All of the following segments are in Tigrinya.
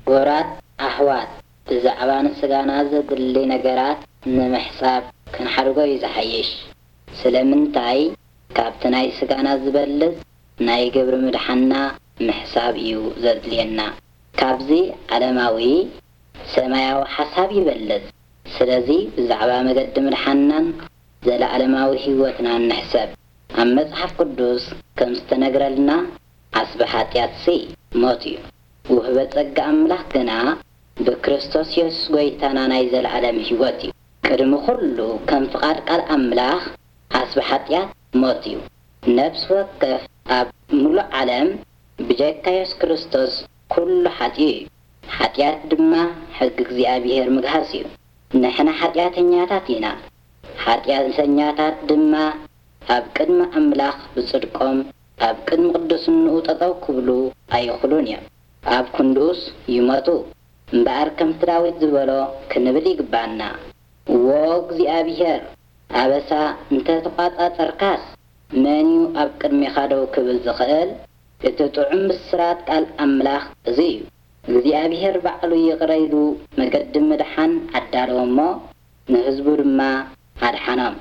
ክቡራት ኣሕዋት፣ ብዛዕባ ንስጋና ዘድሊ ነገራት ንምሕሳብ ክንሓድጎ እዩ ዝሓይሽ። ስለምንታይ? ካብቲ ናይ ስጋና ዝበልጽ ናይ ግብሪ ምድሓንና ምሕሳብ እዩ ዘድልየና። ካብዚ ዓለማዊ ሰማያዊ ሓሳብ ይበልጽ። ስለዚ ብዛዕባ መገዲ ምድሓንናን ዘለዓለማዊ ህይወትናን ንሕሰብ። ኣብ መጽሓፍ ቅዱስ ከም ዝተነግረልና ዓስቢ ሓጢኣትሲ ሞት እዩ። ውህበ ጸጋ ኣምላኽ ግና ብክርስቶስ የሱስ ጐይታና ናይ ዘለዓለም ህይወት እዩ። ቅድሚ ኹሉ ከም ፍቓድ ቃል ኣምላኽ ዓስቢ ሓጢኣት ሞት እዩ። ነፍሲ ወከፍ ኣብ ምሉእ ዓለም ብጀካ የሱስ ክርስቶስ ኩሉ ሓጢኡ እዩ። ሓጢኣት ድማ ሕጊ እግዚኣብሔር ምግሃስ እዩ። ንሕና ሓጢኣተኛታት ኢና። ሓጢኣተኛታት ድማ ኣብ ቅድሚ ኣምላኽ ብጽድቆም ኣብ ቅድሚ ቅዱስንኡ ጠጠው ክብሉ ኣይኽሉን እዮም። ኣብ ክንድኡስ ይሞቱ። እምበኣር ከምቲ ዳዊት ዝበሎ ክንብል ይግባና። ዎ እግዚኣብሔር፣ ኣበሳ እንተ ተቋጻጸርካስ መን እዩ ኣብ ቅድሜኻ ደው ክብል ዝኽእል? እቲ ጥዑም ብስራት ቃል ኣምላኽ እዚ እዩ። እግዚኣብሔር ባዕሉ ይቕረ ኢሉ መገዲ ምድሓን ኣዳለወ እሞ ንህዝቡ ድማ ኣድሓኖም።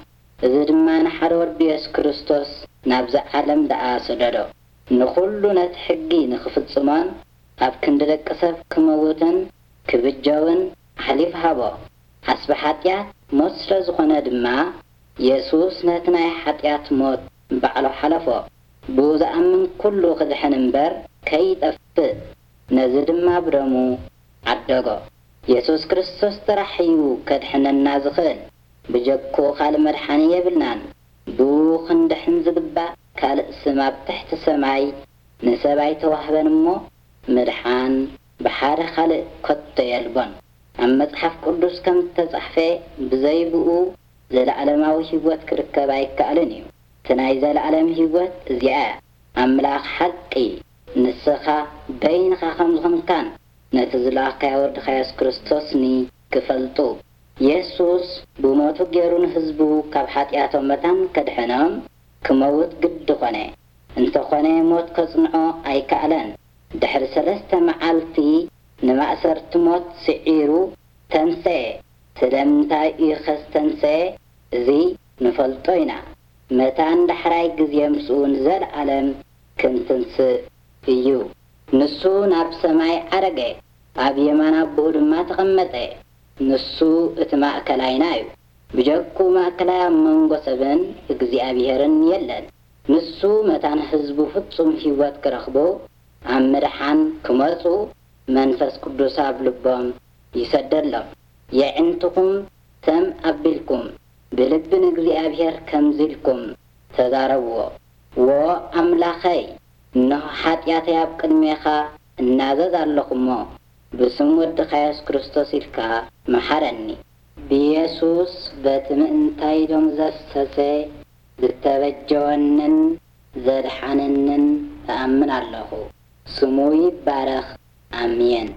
እዚ ድማ ንሓደ ወዱ የሱስ ክርስቶስ ናብዚ ዓለም ደኣ ሰደዶ። ንኹሉ ነቲ ሕጊ ንኽፍጽሞን ኣብ ክንዲ ደቂ ሰብ ክመውትን ክብጀውን ኣሕሊፉ ሃቦ። ዓስቢ ሓጢኣት ሞት ስለ ዝኾነ ድማ የሱስ ነቲ ናይ ሓጢኣት ሞት ባዕሉ ሓለፎ። ብኡ ዝኣምን ኩሉ ክድሕን እምበር ከይጠፍእ፣ ነዚ ድማ ብደሙ ዓደጎ። የሱስ ክርስቶስ ጥራሕ እዩ ከድሕነና ዝኽእል። ብጀክኡ ካልእ መድሓኒ የብልናን። ብኡ ክንድሕን ዝግባእ ካልእ ስም ኣብ ትሕቲ ሰማይ ንሰብ ኣይተዋህበን እሞ፣ ምድሓን ብሓደ ካልእ ከቶ የልቦን። ኣብ መጽሓፍ ቅዱስ ከም እተጻሕፈ፣ ብዘይ ብኡ ዘለዓለማዊ ህይወት ክርከብ ኣይከኣልን እዩ። እቲ ናይ ዘለዓለም ህይወት እዚኣ እያ። ኣምላኽ ሓቂ፣ ንስኻ በይንኻ ከም ዝኾንካን ነቲ ዝለኣኽካዮ ወድኻ የሱስ ክርስቶስኒ ክፈልጡ። የሱስ ብሞቱ ገይሩ ንህዝቡ ካብ ሓጢኣቶም መታን ከድሕኖም ክመውት ግዲ ኾነ። እንተኾነ ሞት ከጽንዖ ኣይከኣለን። ድሕሪ ሰለስተ መዓልቲ ንማእሰርቲ ሞት ስዒሩ ተንሰኤ። ስለምንታይ እዩ ኸ ዝተንሰኤ? እዚ ንፈልጦ ኢና። መታን ዳሕራይ ግዜ ምስኡ ንዘለዓለም ክንትንስእ እዩ። ንሱ ናብ ሰማይ ዓረገ፣ ኣብ የማን ኣቦኡ ድማ ተቐመጠ። ንሱ እቲ ማእከላይና እዩ። ብጀክኡ ማእከላይ ኣብ መንጎ ሰብን እግዚኣብሄርን የለን። ንሱ መታን ህዝቡ ፍጹም ህይወት ክረኽቡ፣ ኣብ ምድሓን ክመጹ መንፈስ ቅዱስ ኣብ ልቦም ይሰደሎም። የዕንትኹም ሰም ኣቢልኩም ብልቢ ንእግዚኣብሔር ከምዚ ኢልኩም ተዛረብዎ፣ ዎ ኣምላኸይ፣ እንሆ ሓጢኣተይ ኣብ ቅድሜኻ እናዘዝ ኣለኹ እሞ፣ ብስም ወድኻ የሱስ ክርስቶስ ኢልካ መሓረኒ። ብየሱስ በቲ ምእንታይሎም ዘፍሰሰ ዝተበጀወንን ዘድሓነንን እኣምን ኣለኹ። ስሙ ይባረኽ። ኣሜን።